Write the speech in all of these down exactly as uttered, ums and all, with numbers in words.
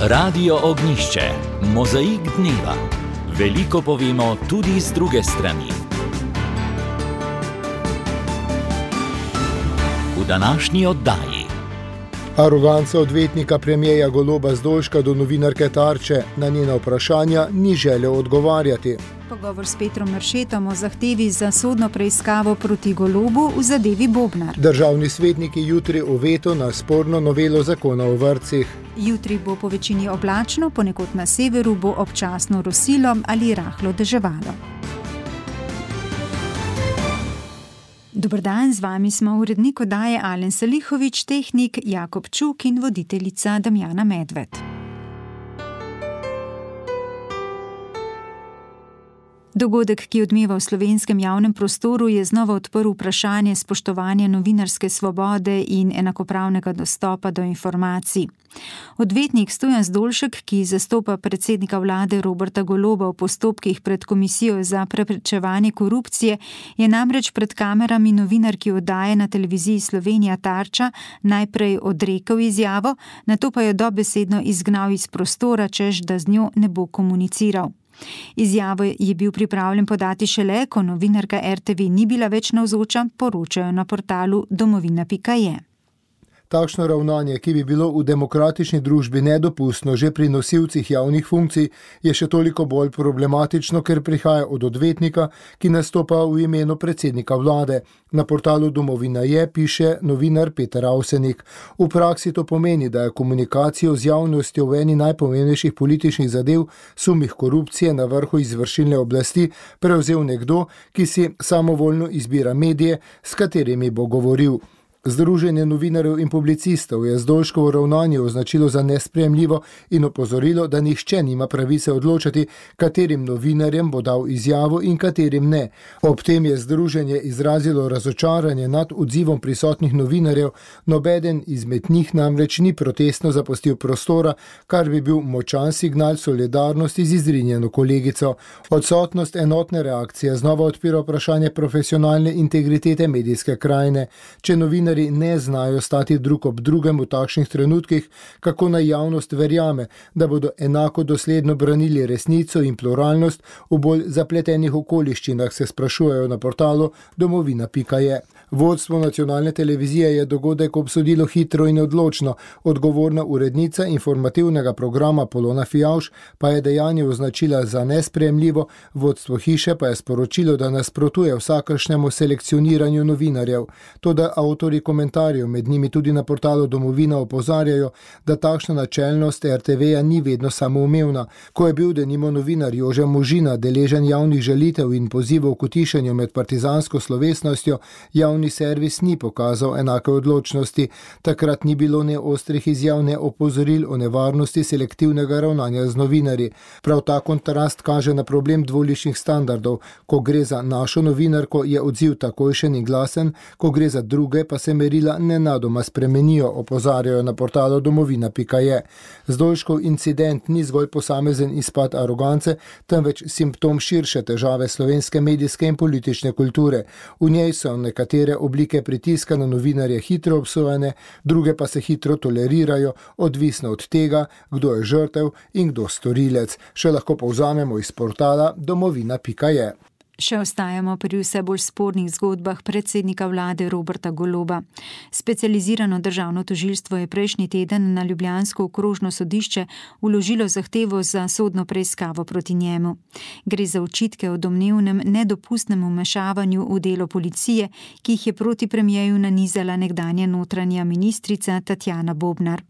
Radio Ognišče, mozaik dneva. Veliko povemo tudi z druge strani. V današnji oddaji. Aroganca odvetnika premierja Goloba Zdolška do novinarke Tarče, na njena vprašanja ni želel odgovarjati. Pogovor s Petrom Mršetom o zahtevi za sodno preiskavo proti Golobu v zadevi Bobnar. Državni svetniki jutri o veto na sporno novelo zakona o vrtcih. Jutri bo po večini oblačno, ponekod na severu bo občasno rosilo ali rahlo deževalo. Dober dan, z vami smo urednik oddaje Alen Salihović, tehnik Jakob Čuk in voditeljica Damjana Medved. Dogodek, ki odmeva v slovenskem javnem prostoru, je znova odprl vprašanje spoštovanja novinarske svobode in enakopravnega dostopa do informacij. Odvetnik Stojan Zdolšek, ki zastopa predsednika vlade Roberta Goloba v postopkih pred Komisijo za preprečevanje korupcije, je namreč pred kamerami novinarki oddaje na televiziji Slovenija Tarča najprej odrekel izjavo, nato pa jo dobesedno izgnal iz prostora, češ da z njo ne bo komuniciral. Izjavo je bil pripravljen podati šele, ko novinarka er te ve ni bila več navzoča, poročajo na portalu domovina pika je. Takšno ravnanje, ki bi bilo v demokratični družbi nedopustno že pri nosilcih javnih funkcij, je še toliko bolj problematično, ker prihaja od odvetnika, ki nastopa v imenu predsednika vlade. Na portalu Domovina je piše novinar Peter Avsenik. V praksi to pomeni, da je komunikacijo z javnostjo v eni najpomembnejših političnih zadev, sumih korupcije na vrhu izvršilne oblasti, prevzel nekdo, ki si samovoljno izbira medije, s katerimi bo govoril. Združenje novinarjev in publicistov je Zdolškovo ravnanje označilo za nesprejemljivo in opozorilo, da nihče nima pravice odločati, katerim novinarjem bo dal izjavo in katerim ne. Ob tem je združenje izrazilo razočaranje nad odzivom prisotnih novinarjev, nobeden izmed njih namreč ni protestno zapustil prostora, kar bi bil močan signal solidarnosti z izrinjeno kolegico. Odsotnost enotne reakcije znova odpira vprašanje profesionalne integritete medijske krajine. Če novinar ne znajo stati drug ob drugem v takšnih trenutkih, kako naj javnost verjame, da bodo enako dosledno branili resnico in pluralnost v bolj zapletenih okoliščinah, se sprašujejo na portalu domovina pika je. Vodstvo nacionalne televizije je dogodek obsodilo hitro in odločno, odgovorna urednica informativnega programa Polona Fijavž pa je dejanje označila za nesprejemljivo, vodstvo hiše pa je sporočilo, da nasprotuje vsakršnemu selekcioniranju novinarjev. Toda avtori komentarjev, med njimi tudi na portalu Domovina, opozarjajo, da takšna načelnost er te veja ni vedno samoumevna. Ko je bil denimo novinar Jože Možina deležen javnih žalitev in pozivov k utišanju med partizansko slovesnostjo, javni servis ni pokazal enake odločnosti. Takrat ni bilo ne ostrih izjav, ne opozoril o nevarnosti selektivnega ravnanja z novinarji. Prav ta kontrast kaže na problem dvoličnih standardov. Ko gre za našo novinarko, je odziv takojšen in glasen, ko gre za druge, pa se merila nenadoma spremenijo, opozarjajo na portalu domovina pika je. Zdolškov incident ni zgolj posamezen izpad arogance, temveč simptom širše težave slovenske medijske in politične kulture. V njej so nekatere oblike pritiska na novinarje hitro obsojene, druge pa se hitro tolerirajo, odvisno od tega, kdo je žrtev in kdo storilec. Še lahko povzamemo iz portala domovina pika je. Še ostajamo pri vse bolj spornih zgodbah predsednika vlade Roberta Goloba. Specializirano državno tožilstvo je prejšnji teden na ljubljansko okrožno sodišče vložilo zahtevo za sodno preiskavo proti njemu. Gre za očitke o domnevnem nedopustnem vmešavanju v delo policije, ki jih je proti premierju nanizala nekdanja notranja ministrica Tatjana Bobnar.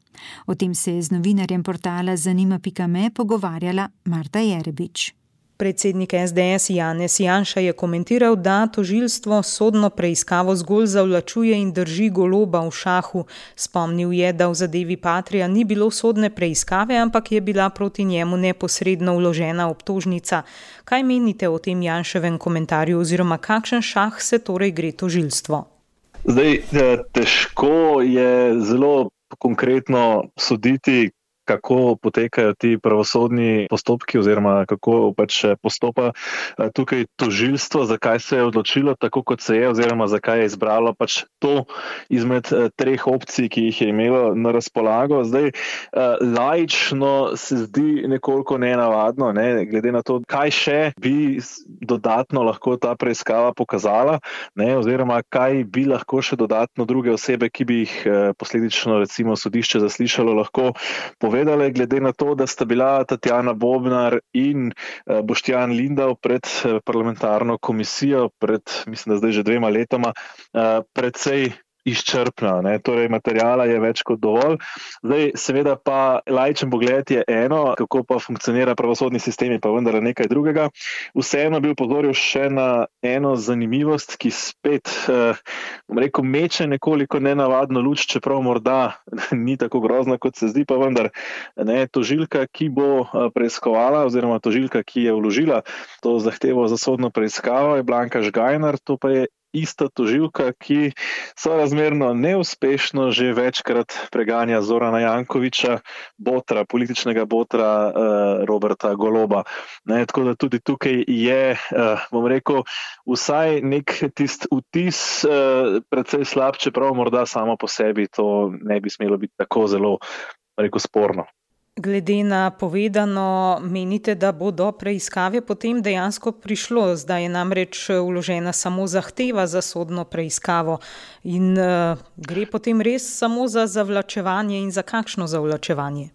O tem se je z novinarjem portala zanima pika me pogovarjala Marta Jerebič. Predsednik es de es Janez Janša je komentiral, da tožilstvo sodno preiskavo zgolj zavlačuje in drži Goloba v šahu. Spomnil je, da v zadevi Patria ni bilo sodne preiskave, ampak je bila proti njemu neposredno vložena obtožnica. Kaj menite o tem Janševem komentarju oziroma kakšen šah se torej gre tožilstvo? Zdaj, težko je zelo konkretno soditi, kako potekajo ti pravosodni postopki oziroma kako pač postopa tukaj tožilstvo, zakaj se je odločilo tako, kot se je, oziroma zakaj je izbralo pač to izmed treh opcij, ki jih je imelo na razpolago. Zdaj, laično se zdi nekoliko nenavadno, ne, glede na to, kaj še bi dodatno lahko ta preiskava pokazala, ne, oziroma kaj bi lahko še dodatno druge osebe, ki bi jih posledično recimo sodišče zaslišalo, lahko povedale, glede na to, da sta bila Tatjana Bobnar in Boštjan Lindav pred parlamentarno komisijo, pred, mislim, da zdaj že dvema letoma, precej izčrpna, ne? Torej materiala je več kot dovolj. Zdaj, seveda pa laičen pogled je eno, kako pa funkcionira pravosodni sistem, je pa vendar nekaj drugega. Vseeno bi upozoril še na eno zanimivost, ki spet, bom rekel, meče nekoliko nenavadno luč, čeprav morda ni tako grozna, kot se zdi, pa vendar, ne, tožilka, ki bo preiskovala, oziroma tožilka, ki je vložila to zahtevo za sodno preiskavo, je Blanka Žgajnar, to pa je ista tožilka, ki sorazmerno neuspešno že večkrat preganja Zorana Jankovića, botra, političnega botra uh, Roberta Goloba. Ne, tako da tudi tukaj je, uh, bom rekel, vsaj nek tist vtis uh, precej slab, čeprav morda samo po sebi to ne bi smelo biti tako zelo, rekel, sporno. Glede na povedano, menite, da bo do preiskave potem dejansko prišlo? Zdaj je namreč vložena samo zahteva za sodno preiskavo in uh, gre potem res samo za zavlačevanje in za kakšno zavlačevanje?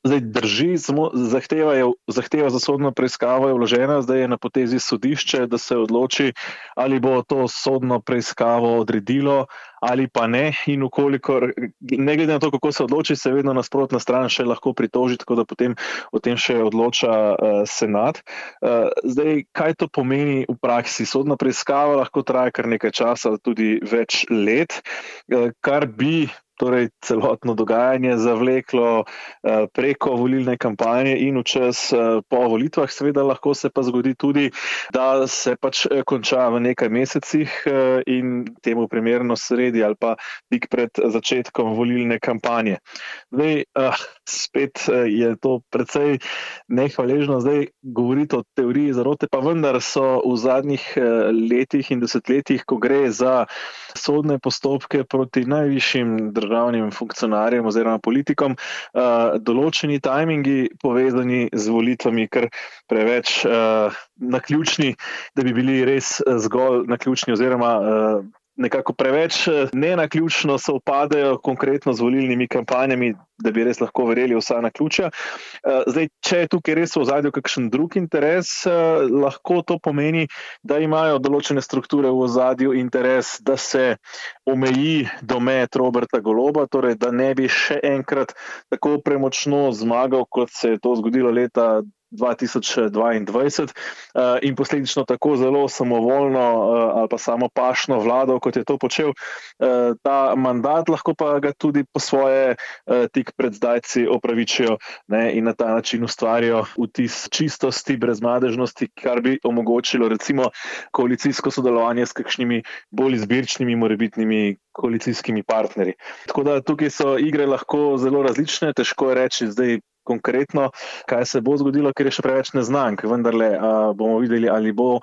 Zdaj drži, samo zahteva, je, zahteva za sodno preiskavo je vložena, zdaj je na potezi sodišče, da se odloči, ali bo to sodno preiskavo odredilo ali pa ne, in ukolikor, ne glede na to, kako se odloči, se vedno nasprotna stran še lahko pritoži, tako da potem o tem še odloča uh, senat. Uh, zdaj, kaj to pomeni v praksi? Sodna preiskava lahko traja kar nekaj časa, tudi več let, uh, kar bi torej celotno dogajanje zavleklo uh, preko volilne kampanje in v čas uh, po volitvah. Seveda lahko se pa zgodi tudi, da se pač konča v nekaj mesecih uh, in temu primerno sredi ali pa tik pred začetkom volilne kampanje. Zdaj, uh, spet uh, je to precej nehvaležno zdaj govoriti o teoriji zarote, pa vendar so v zadnjih uh, letih in desetletjih, ko gre za sodne postopke proti najvišjim državnim funkcionarjem oziroma politikom, uh, določeni tajmingi povezani z volitvami kar preveč uh, naključni, da bi bili res zgolj naključni oziroma uh, nekako preveč nenaključno sovpadajo konkretno z volilnimi kampanjami, da bi res lahko verjeli vsa naključja. Zdaj, če je tukaj res v ozadju kakšen drug interes, lahko to pomeni, da imajo določene strukture v ozadju interes, da se omeji domet Roberta Goloba, torej da ne bi še enkrat tako premočno zmagal, kot se je to zgodilo leta dva tisoč dvaindvajset in posledično tako zelo samovoljno ali pa samopašno vladal, kot je to počel ta mandat, lahko pa ga tudi po svoje tik pred zdajci opravičijo, ne, in na ta način ustvarijo vtis čistosti, brezmadežnosti, kar bi omogočilo recimo koalicijsko sodelovanje s kakšnimi bolj izbirčnimi morebitnimi koalicijskimi partnerji. Tako da tukaj so igre lahko zelo različne, težko je reči zdaj konkretno, kaj se bo zgodilo, ker je še preveč neznank. Vendarle a, bomo videli, ali bo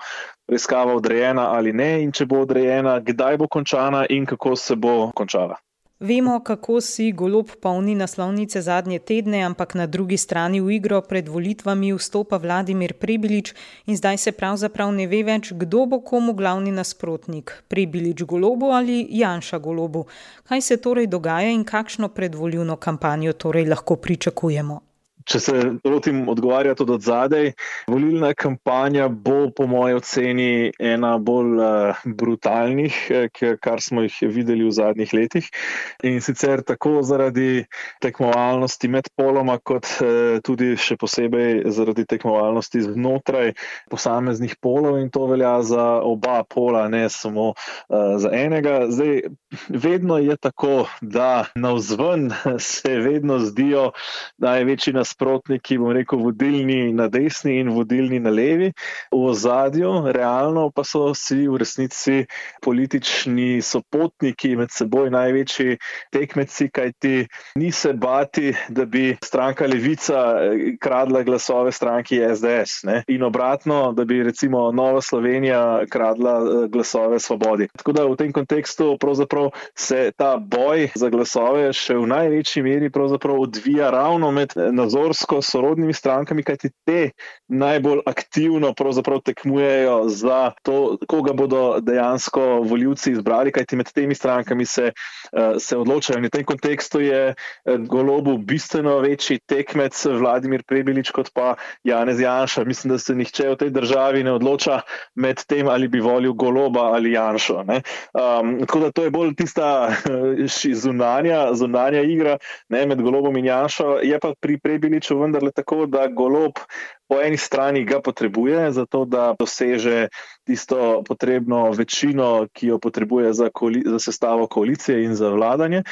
preiskava odrejena ali ne, in če bo odrejena, kdaj bo končana in kako se bo končala. Vemo, kako si Golob polni naslovnice zadnje tedne, ampak na drugi strani v igro pred volitvami vstopa Vladimir Prebilič in zdaj se pravzaprav ne ve več, kdo bo komu glavni nasprotnik. Prebilič Golobu ali Janša Golobu. Kaj se torej dogaja in kakšno predvolilno kampanjo torej lahko pričakujemo? Če se lotim odgovarjati od odzadej, volilna kampanja bo po moji oceni ena bolj uh, brutalnih, kar smo jih videli v zadnjih letih. In sicer tako zaradi tekmovalnosti med poloma, kot uh, tudi še posebej zaradi tekmovalnosti znotraj posameznih polov, in to velja za oba pola, ne samo uh, za enega. Zdaj, vedno je tako, da navzven se vedno zdijo največji nasprotniki nasprotniki, bom rekel, vodilni na desni in vodilni na levi. V ozadju, realno pa so vsi v resnici politični sopotniki, med seboj največji tekmeci, kajti ni se bati, da bi stranka Levica kradla glasove stranki S D S, ne? In obratno, da bi recimo Nova Slovenija kradla glasove Svobodi. Tako da v tem kontekstu pravzaprav se ta boj za glasove še v največji meri pravzaprav odvija ravno med nazorsko sorodnimi strankami, kajti te najbolj aktivno pravzaprav tekmujejo za to, koga bodo dejansko volivci izbrali, kajti med temi strankami se, se odločajo. In v tem kontekstu je Golobu bistveno večji tekmec Vladimir Prebilič kot pa Janez Janša. Mislim, da se nihče v tej državi ne odloča med tem, ali bi volil Goloba ali Janšo. Ne? Um, tako da to je bolj tista zunanja, zunanja igra, ne, med Golobom in Janšo. Je pa pri Prebiliču vendarle tako, da Golob po eni strani ga potrebuje, zato da doseže tisto potrebno večino, ki jo potrebuje za, koali- za sestavo koalicije in za vladanje.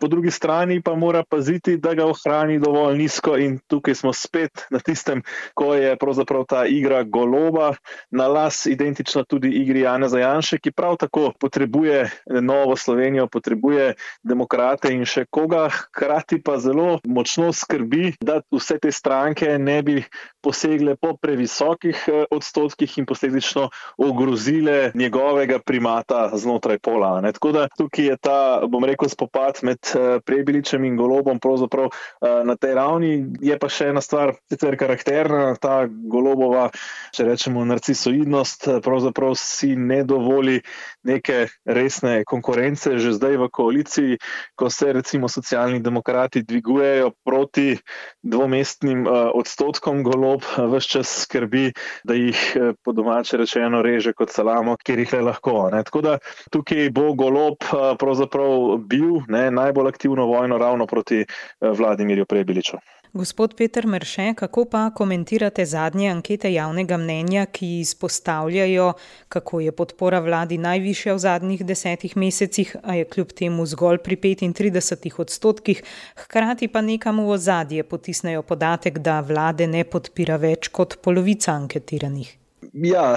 Po drugi strani pa mora paziti, da ga ohrani dovolj nizko in tukaj smo spet na tistem, ko je pravzaprav ta igra Goloba na las identična tudi igri Janeza Janše, ki prav tako potrebuje Novo Slovenijo, potrebuje demokrate in še koga, hkrati pa zelo močno skrbi, da vse te stranke ne bi posegle po previsokih odstotkih in posledično ogrozile njegovega primata znotraj pola. Ne? Tako da tukaj je ta, bom rekel, spopad med Prebiličem in Golobom pravzaprav na tej ravni. Je pa še ena stvar, sicer karakterna, ta Golobova, če rečemo, narcisoidnost, pravzaprav si ne dovoli neke resne konkurence že zdaj v koaliciji, ko se recimo socialni demokrati dvigujejo proti dvomestnim odstotkom. Golob ves čas skrbi, da jih po domače rečeno reže kot salamo, kjer jih le lahko. Ne. Tako da tukaj bo Golob pravzaprav bil ne, najbolj aktivno vojno ravno proti Vladimirju Prebiliču. Gospod Peter Merše, kako pa komentirate zadnje ankete javnega mnenja, ki izpostavljajo, kako je podpora vladi najvišja v zadnjih desetih mesecih, a je kljub temu zgolj pri petintridesetih odstotkih, hkrati pa nekam v ozadje potisnejo podatek, da vlade ne podpira več kot polovica anketiranih? Ja,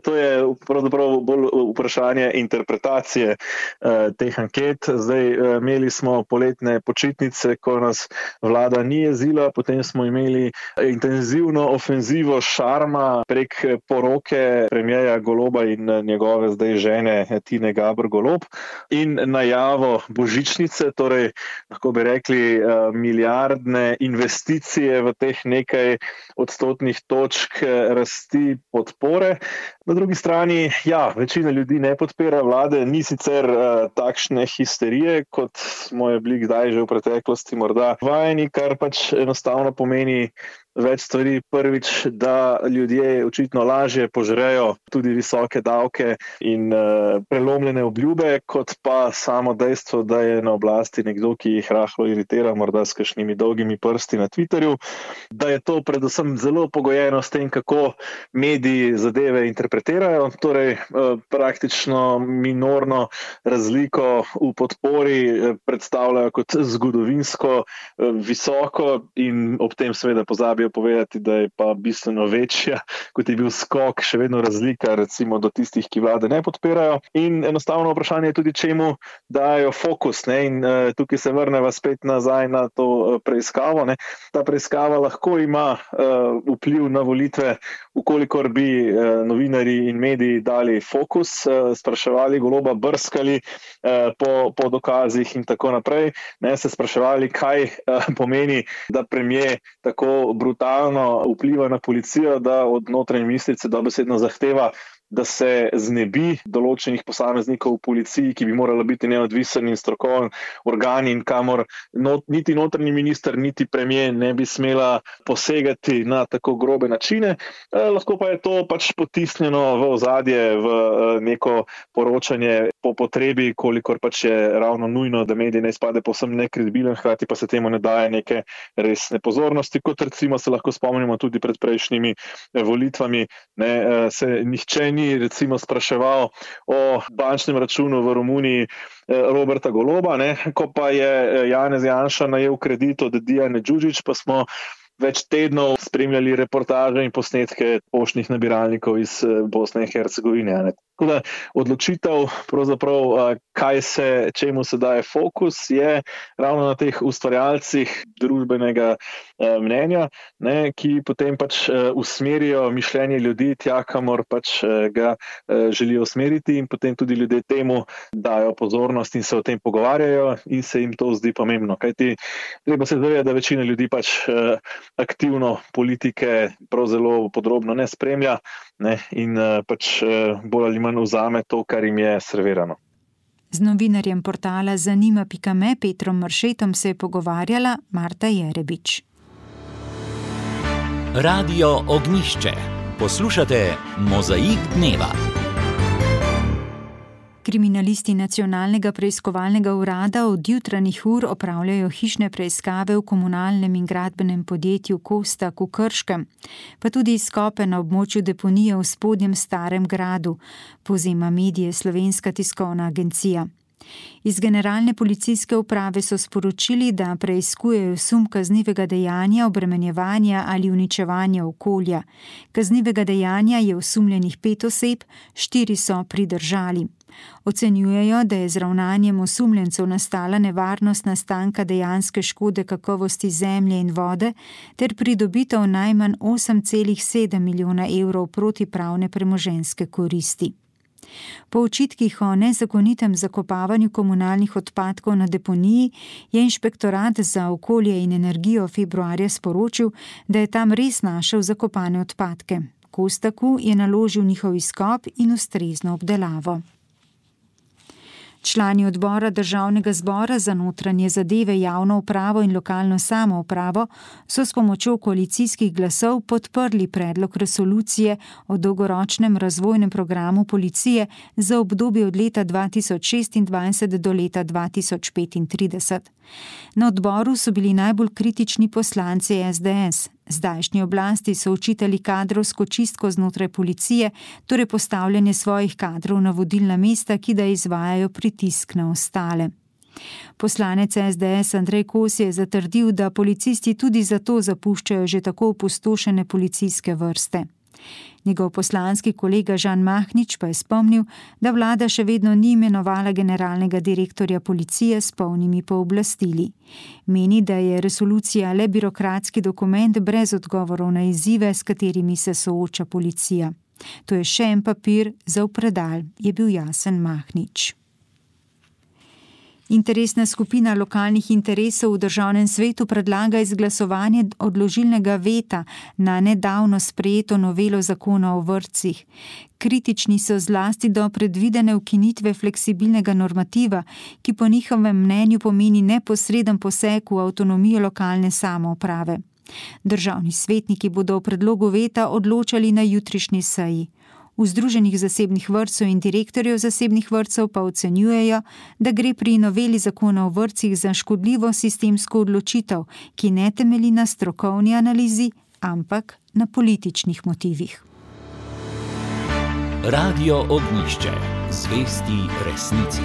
to je pravzaprav bolj vprašanje interpretacije eh, teh anket. Zdaj eh, imeli smo poletne počitnice, ko nas vlada ni jezila, potem smo imeli intenzivno ofenzivo šarma prek poroke premierja Goloba in njegove zdaj žene Tine Gaber Golob in najavo božičnice, torej lahko bi rekli eh, milijardne investicije v teh nekaj odstotnih točk rasti podpore. Na drugi strani, ja, večina ljudi ne podpira vlade, ni sicer uh, takšne histerije, kot smo je bili kdaj že v preteklosti morda vajeni, kar pač enostavno pomeni več stvari. Prvič, da ljudje očitno lažje požrejo tudi visoke davke in uh, prelomljene obljube, kot pa samo dejstvo, da je na oblasti nekdo, ki jih rahlo iritira, morda s kakšnimi dolgimi prsti na Twitterju, da je to predvsem zelo pogojeno s tem, kako mediji zadeve interpretirajo, torej uh, praktično minorno razliko v podpori uh, predstavljajo kot zgodovinsko uh, visoko in ob tem seveda pozabijo povedati, da je pa bistveno večja, kot je bil skok, še vedno razlika recimo do tistih, ki vlade ne podpirajo. In enostavno vprašanje je tudi, čemu dajo fokus. Ne? In uh, tukaj se vrneva spet nazaj na to uh, preiskavo. Ne? Ta preiskava lahko ima uh, vpliv na volitve, ukolikor bi uh, novinarji in mediji dali fokus, uh, spraševali Goloba, brskali uh, po, po dokazih in tako naprej. Ne? Se spraševali, kaj uh, pomeni, da premier tako brutalno vpliva na policijo, da od notranje ministrice dobesedno zahteva, da se znebi določenih posameznikov v policiji, ki bi morala biti neodvisen in strokoven organ in kamor not, niti notranji minister, niti premier ne bi smela posegati na tako grobe načine. Eh, lahko pa je to pač potisnjeno v ozadje, v eh, neko poročanje po potrebi, kolikor pač je ravno nujno, da medij ne izpade povsem nekredibilen, hkrati pa se temu ne daje neke resne pozornosti, kot recimo se lahko spomnimo tudi pred prejšnjimi eh, volitvami, ne, eh, se nihče ni recimo spraševal o bančnem računu v Romuniji Roberta Goloba, ne? Ko pa je Janez Janša najel kredit od Dijane Đuđić, pa smo več tednov spremljali reportaže in posnetke poštnih nabiralnikov iz Bosne in Hercegovine. Ne. Tako da odločitev, pravzaprav, kaj se, čemu se daje fokus, je ravno na teh ustvarjalcih družbenega eh, mnenja, ne, ki potem pač eh, usmerijo mišljenje ljudi tja, kamor pač eh, ga eh, želijo usmeriti, in potem tudi ljudje temu dajo pozornost in se o tem pogovarjajo in se jim to zdi pomembno. Kajti treba se zavedati, da večina ljudi pač eh, aktivno politike prav zelo podrobno ne spremlja, ne, in eh, pač eh, bolj ali manj vzame to, kar jim je servirano. Z novinarjem portala Zanima pika me Petrom Mršetom se je pogovarjala Marta Jerebič. Radio Ognjišče. Poslušate Mozaik dneva. Kriminalisti Nacionalnega preiskovalnega urada od jutranjih ur opravljajo hišne preiskave v komunalnem in gradbenem podjetju Kostak v Krškem, pa tudi izkope na območju deponije v Spodnjem Starem gradu, povzema medije Slovenska tiskovna agencija. Iz Generalne policijske uprave so sporočili, da preiskujejo sum kaznivega dejanja obremenjevanja ali uničevanja okolja. Kaznivega dejanja je osumljenih pet oseb, štiri so pridržali. Ocenjujejo, da je z ravnanjem osumljencev nastala nevarnost nastanka dejanske škode kakovosti zemlje in vode ter pridobitev najmanj osem celih sedem milijona evrov protipravne premoženjske koristi. Po očitkih o nezakonitem zakopavanju komunalnih odpadkov na deponiji je Inšpektorat za okolje in energijo februarja sporočil, da je tam res našel zakopane odpadke. Kostaku je naložil njihov izkop in ustrezno obdelavo. Člani odbora Državnega zbora za notranje zadeve, javno upravo in lokalno samoupravo so s pomočjo koalicijskih glasov podprli predlog resolucije o dolgoročnem razvojnem programu policije za obdobje od leta dva tisoč šestindvajset do leta dva tisoč petintrideset. Na odboru so bili najbolj kritični poslanci es de es. Zdajšnji oblasti so očitali kadrovsko čistko znotraj policije, torej postavljanje svojih kadrov na vodilna mesta, ki da izvajajo pritisk na ostale. Poslanec es de es Andrej Kos je zatrdil, da policisti tudi zato zapuščajo že tako opustošene policijske vrste. Njegov poslanski kolega Žan Mahnič pa je spomnil, da vlada še vedno ni imenovala generalnega direktorja policije s polnimi pooblastili. Meni, da je resolucija le birokratski dokument brez odgovorov na izzive, s katerimi se sooča policija. To je še en papir za v predal, je bil jasen Mahnič. Interesna skupina lokalnih interesov v državnem svetu predlaga izglasovanje odložilnega veta na nedavno sprejeto novelo zakona o vrtcih. Kritični so zlasti do predvidene ukinitve fleksibilnega normativa, ki po njihovem mnenju pomeni neposreden poseg v avtonomijo lokalne samouprave. Državni svetniki bodo o predlogu veta odločali na jutrišnji seji. V Združenih zasebnih vrtcev in direktorjev zasebnih vrtcev pa ocenjujejo, da gre pri noveli zakona o vrtcih za škodljivo sistemsko odločitev, ki ne temelji na strokovni analizi, ampak na političnih motivih. Radio Ognjišče. Zvesti resnici.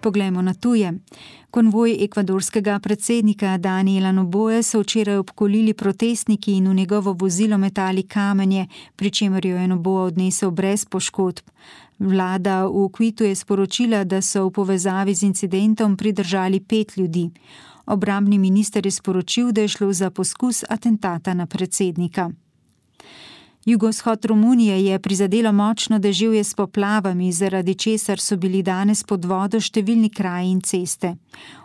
Poglejmo na tuje. Konvoj ekvadorskega predsednika Daniela Noboje so včeraj obkolili protestniki in v njegovo vozilo metali kamenje, pri čemer jo je Noboa odnesel brez poškodb. Vlada v Kvitu je sporočila, da so v povezavi z incidentom pridržali pet ljudi. Obrambni minister je sporočil, da je šlo za poskus atentata na predsednika. Jugovzhod Romunije je prizadelo močno deževje s poplavami, zaradi česar so bili danes pod vodo številni kraji in ceste.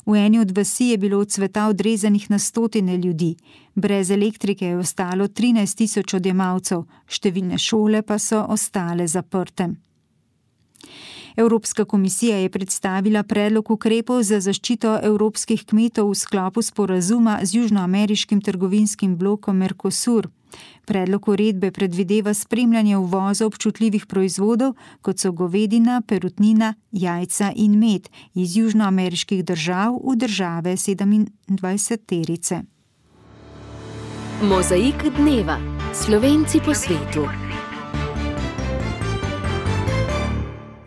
V eni od vasi je bilo od sveta odrezanih na stotine ljudi. Brez elektrike je ostalo trinajst tisoč odjemalcev, številne šole pa so ostale zaprte. Evropska komisija je predstavila predlog ukrepov za zaščito evropskih kmetov v sklopu sporazuma z južnoameriškim trgovinskim blokom Mercosur. Predlog uredbe predvideva spremljanje uvoza občutljivih proizvodov, kot so govedina, perutnina, jajca in med iz južnoameriških držav v države sedemindvajseterice. Mozaik dneva. Slovenci po svetu.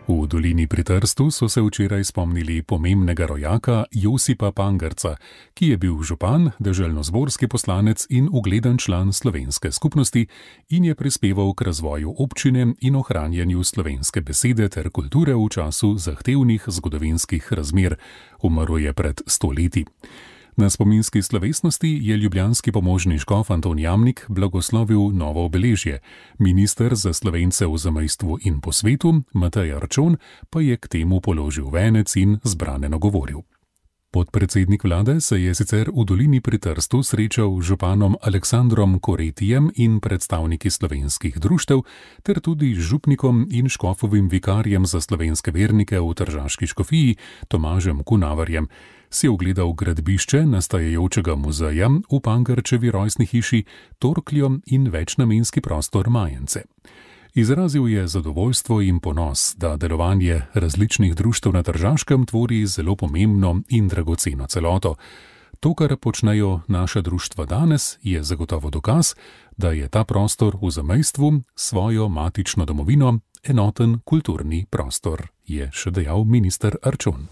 V dolini pri Trstu so se včeraj spomnili pomembnega rojaka Josipa Pangerca, ki je bil župan, deželnozborski poslanec in ugleden član slovenske skupnosti in je prispeval k razvoju občine in ohranjanju slovenske besede ter kulture v času zahtevnih zgodovinskih razmer. Umrl je pred sto leti. Na spominski slovesnosti je ljubljanski pomožni škof Anton Jamnik blagoslovil novo obeležje. Minister za Slovence v zamejstvu in po svetu, Matej Arčon, pa je k temu položil venec in zbrane nagovoril. Podpredsednik vlade se je sicer v dolini pri Trstu srečal z županom Aleksandrom Koretijem in predstavniki slovenskih društev, ter tudi z župnikom in škofovim vikarjem za slovenske vernike v tržaški škofiji Tomažem Kunavarjem. Si ogledal gradbišče nastajajočega muzeja v Pangerčevi rojstni hiši, torkljo in večnamenski prostor Majence. Izrazil je zadovoljstvo in ponos, da delovanje različnih društev na Tržaškem tvori zelo pomembno in dragoceno celoto. To, kar počnejo naša društva danes, je zagotovo dokaz, da je ta prostor v zamejstvu svojo matično domovino enoten kulturni prostor, je še dejal minister Arčon.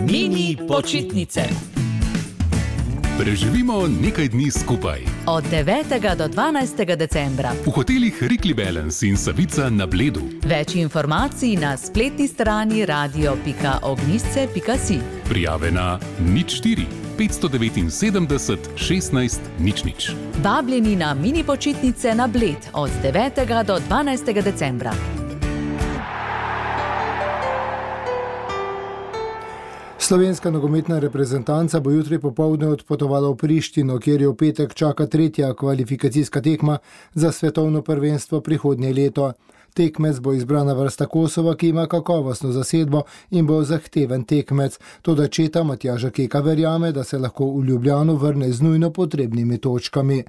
Mini počitnice. Preživimo nekaj dni skupaj. Od devetega do dvanajstega decembra. V hotelih Rikli Balance in Savica na Bledu. Več informacij na spletni strani radio pika ognjišče pika si. Prijave na nič štiri petsto devetinsedemdeset šestnajst nič nič. Vabljeni na mini počitnice na Bled od devetega do dvanajstega decembra. Slovenska nogometna reprezentanca bo jutri popoldne odpotovala v Prištino, kjer jo v petek čaka tretja kvalifikacijska tekma za svetovno prvenstvo prihodnje leto. Tekmec bo izbrana vrsta Kosova, ki ima kakovostno zasedbo in bo zahteven tekmec. Toda četa Matjaža Keka verjame, da se lahko v Ljubljano vrne z nujno potrebnimi točkami.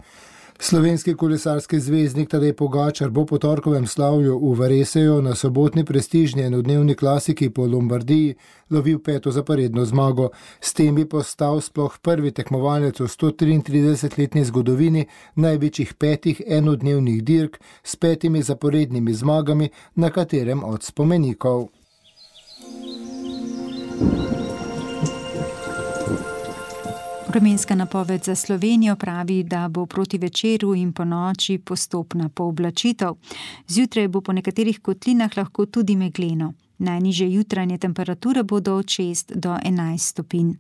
Slovenski kolesarski zvezdnik Tadej Pogačar bo po torkovem slavju v Vareseju na sobotni prestižni enodnevni klasiki po Lombardiji lovil peto zaporedno zmago. S tem bi postal sploh prvi tekmovalec v sto triintridesetletni zgodovini največjih petih enodnevnih dirk s petimi zaporednimi zmagami na katerem od spomenikov. Vremenska napoved za Slovenijo pravi, da bo proti večeru in po noči postopna pooblačitev. Zjutraj bo po nekaterih kotlinah lahko tudi megleno. Najnižje jutranje temperature bodo od šest do enajst stopinj.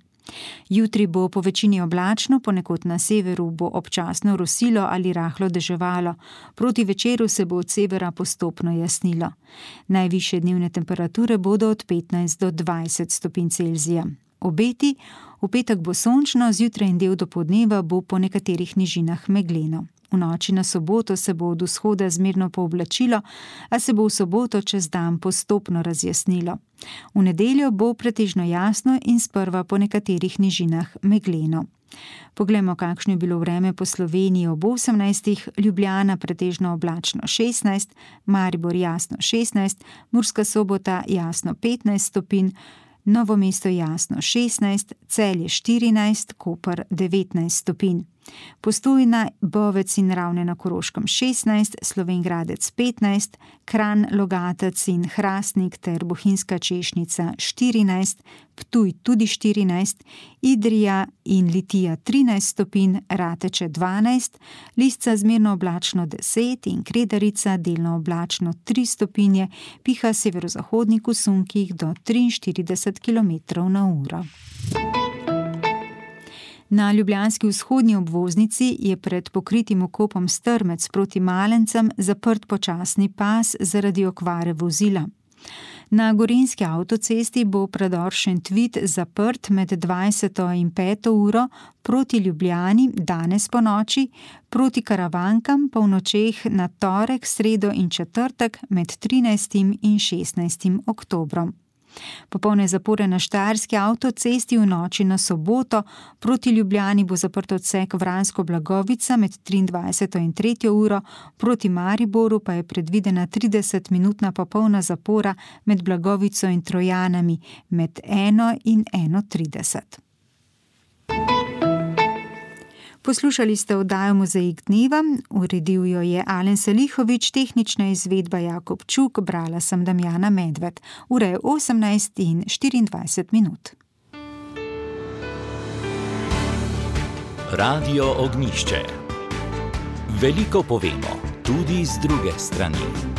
Jutri bo po večini oblačno, ponekod na severu bo občasno rosilo ali rahlo deževalo. Proti večeru se bo od severa postopno jasnilo. Najvišje dnevne temperature bodo od petnajst do dvajset stopinj Celzija. Obeti, v petek bo sončno, zjutraj in del dopoldneva bo po nekaterih nižinah megleno. V noči na soboto se bo od vzhoda zmerno pooblačilo, a se bo v soboto čez dan postopno razjasnilo. V nedeljo bo pretežno jasno in sprva po nekaterih nižinah megleno. Poglejmo, kakšno je bilo vreme po Sloveniji ob osemnajstih, Ljubljana pretežno oblačno šestnajst, Maribor jasno šestnajst, Murska Sobota jasno petnajst stopinj, Novo mesto jasno šestnajst, Celje štirinajst, Koper devetnajst stopinj. Postojna, Bovec in Ravne na Koroškem šestnajst, Slovenj Gradec petnajst, Kranj, Logatec in Hrastnik ter Bohinjska Češnica štirinajst, Ptuj tudi štirinajst, Idrija in Litija trinajst stopinj, Rateče dvanajst, Lisca zmerno oblačno deset in Kredarica delno oblačno tri stopinje, piha severozahodnik v sunkih do triinštirideset kilometrov na uro. Na ljubljanski vzhodni obvoznici je pred pokritim vkopom Strmec proti Malencem zaprt počasni pas zaradi okvare vozila. Na gorenjski avtocesti bo predor Šentvid zaprt med dvajseto in peto uro proti Ljubljani danes po noči, proti Karavankam pa v nočeh na torek, sredo in četrtek med trinajstim in šestnajstim oktobrom. Popolne zapore na Štajerski avtocesti v noči na soboto, proti Ljubljani bo zaprt odsek Vransko-Blagovica med triindvajseto in tretjo uro, proti Mariboru pa je predvidena tridesetminutna popolna zapora med Blagovico in Trojanami med eno in eno trideset. Poslušali ste oddajo Mozaik dneva, uredil jo je Alen Salihovič, tehnična izvedba Jakob Čuk, brala sem Damjana Medved. Ura je osemnajst in štiriindvajset minut. Radio Ognjišče. Veliko povemo, tudi z druge strani.